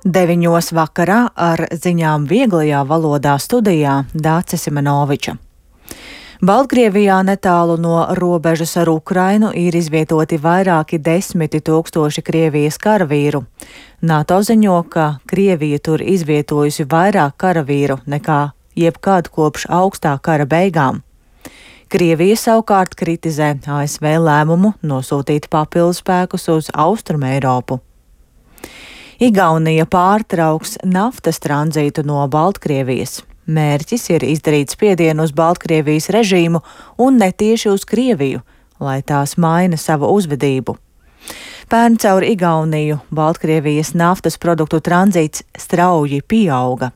9 vakarā ar ziņām vieglajā valodā studijā Dāce Simenoviča. Baltkrievijā netālu no robežas ar Ukrainu ir izvietoti vairāki 10 000 Krievijas karavīru. NATO ziņo, ka Krievija tur izvietojusi vairāk karavīru nekā jebkad kopš augstā kara beigām. Krievija savukārt kritizē ASV lēmumu nosūtīt papildu spēkus uz Austrumu Eiropu. Igaunija pārtrauks naftas tranzītu no Baltkrievijas. Mērķis ir izdarīt spiedienu uz Baltkrievijas režīmu un netieši uz Krieviju, lai tās maina savu uzvedību. Pērn caur Igauniju Baltkrievijas naftas produktu tranzīts strauji pieauga.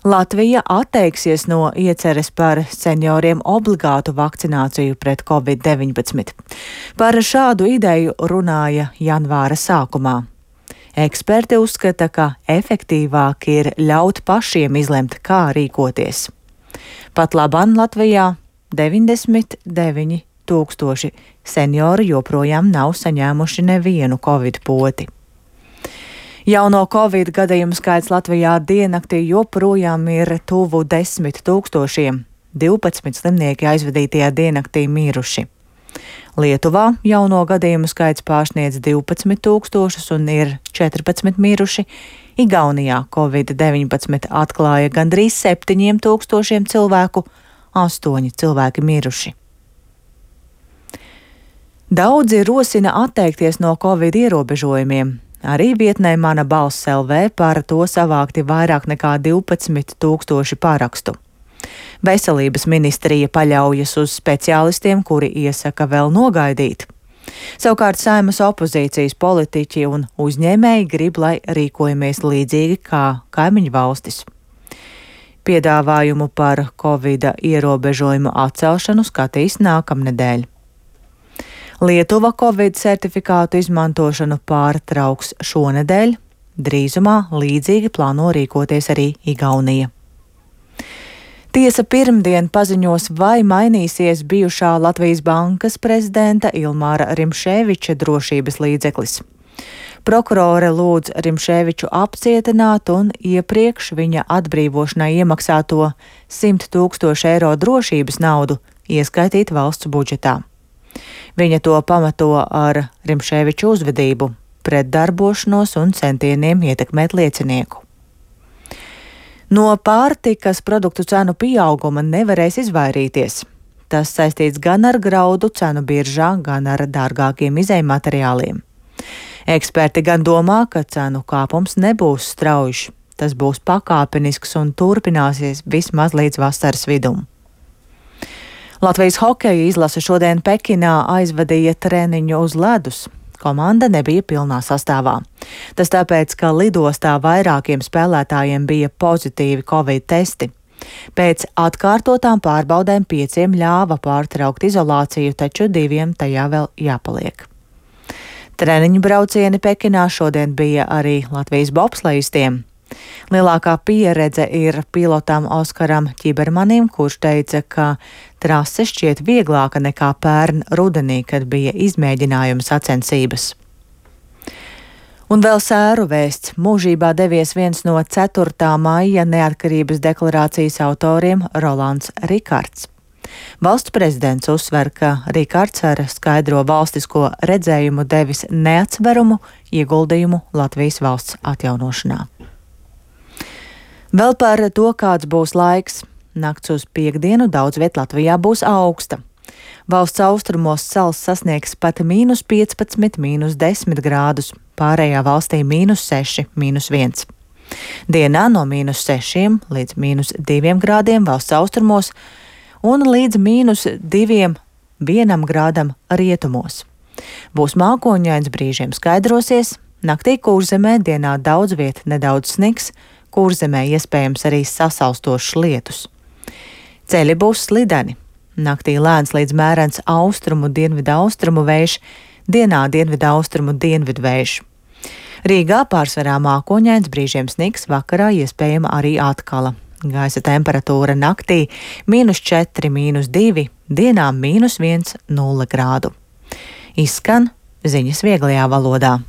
Latvija atteiksies no ieceres par senioriem obligātu vakcināciju pret Covid-19. Par šādu ideju runāja janvāra sākumā. Eksperti uzskata, ka efektīvāk ir ļaut pašiem izlemt, kā rīkoties. Pat labāk Latvijā 99 000 seniori joprojām nav saņēmuši nevienu covid poti. Jauno covid gadījumu skaits Latvijā diennaktī joprojām ir tuvu 10 000. 12 slimnieki aizvadītajā diennaktī miruši. Lietuvā jauno gadījumu skaits pārsniedz 12 000 un ir 14 miruši. Igaunijā Covid-19 atklāja gandrīz 7 000 cilvēku, 8 cilvēki miruši. Daudzi rosina atteikties no Covid ierobežojumiem. Arī vietnē Mana balss LV par to savākti vairāk nekā 12 000 parakstu. Veselības ministrija paļaujas uz speciālistiem, kuri iesaka vēl nogaidīt. Savukārt Saeimas opozīcijas politiķi un uzņēmēji grib, lai rīkojamies līdzīgi kā kaimiņu valstis. Piedāvājumu par Covida ierobežojumu atcelšanu skatīs nākamnedēļ. Lietuva Covid certifikātu izmantošanu pārtrauks šonedēļ, drīzumā līdzīgi plāno rīkoties arī Igaunija. Tiesa pirmdien paziņos, vai mainīsies bijušā Latvijas bankas prezidenta Ilmāra Rimšēviča drošības līdzeklis. Prokurore lūdz Rimšēviču apcietināt un iepriekš viņa atbrīvošanai iemaksāto 100 000 eiro drošības naudu ieskaitīt valsts budžetā. Viņa to pamato ar Rimšēviču uzvedību, pretdarbošanos un centieniem ietekmēt liecinieku. No pārtikas produktu cenu pieauguma nevarēs izvairīties. Tas saistīts gan ar graudu cenu biržā, gan ar dārgākiem izejmateriāliem. Eksperti gan domā, ka cenu kāpums nebūs straujš. Tas būs pakāpenisks un turpināsies vismaz līdz vasaras vidum. Latvijas hokeja izlase šodien Pekinā aizvadīja treniņu uz ledus. Komanda nebija pilnā sastāvā. Tas tāpēc, ka lidostā vairākiem spēlētājiem bija pozitīvi Covid testi. Pēc atkārtotām pārbaudēm 5 ļāva pārtraukt izolāciju, taču 2 tajā vēl jāpaliek. Treniņu braucieni Pekinā šodien bija arī Latvijas bobslejistiem. Lielākā pieredze ir pilotam Oskaram Ķibermanim, kurš teica, ka trase šķiet vieglāka nekā pērn rudenī, kad bija izmēģinājuma sacensības. Un vēl sēru vēsts. Mūžībā devies viens no 4. maija neatkarības deklarācijas autoriem Rolands Rikards. Valsts prezidents uzsver, ka Rikards ar skaidro valstisko redzējumu devis neatsveramu ieguldījumu Latvijas valsts atjaunošanā. Vēl par to, kāds būs laiks. Nakts uz piektdienu daudz viet Latvijā būs augsta. Valsts austrumos sals sasniegs pat -15, -10 grādus, pārējā valstī -6, -1. Dienā no -6 līdz -2 grādiem valsts austrumos un līdz -2, 1 grādam rietumos. Būs mākoņains, brīžiem skaidrosies, naktī Kurzemē, dienā daudz viet nedaudz sniks, Kurzemē iespējams arī sasalstošs lietus. Ceļi būs slideni. Naktī lēns līdz mērens austrumu dienvidaustrumu vējš, dienā dienvidaustrumu dienvidu vējš. Rīgā pārsvarā mākoņains, brīžiem sniks, vakarā iespējama arī atkala. Gaisa temperatūra naktī -4, -2, dienā -1, 0 grādu. Izskan ziņas vieglajā valodā.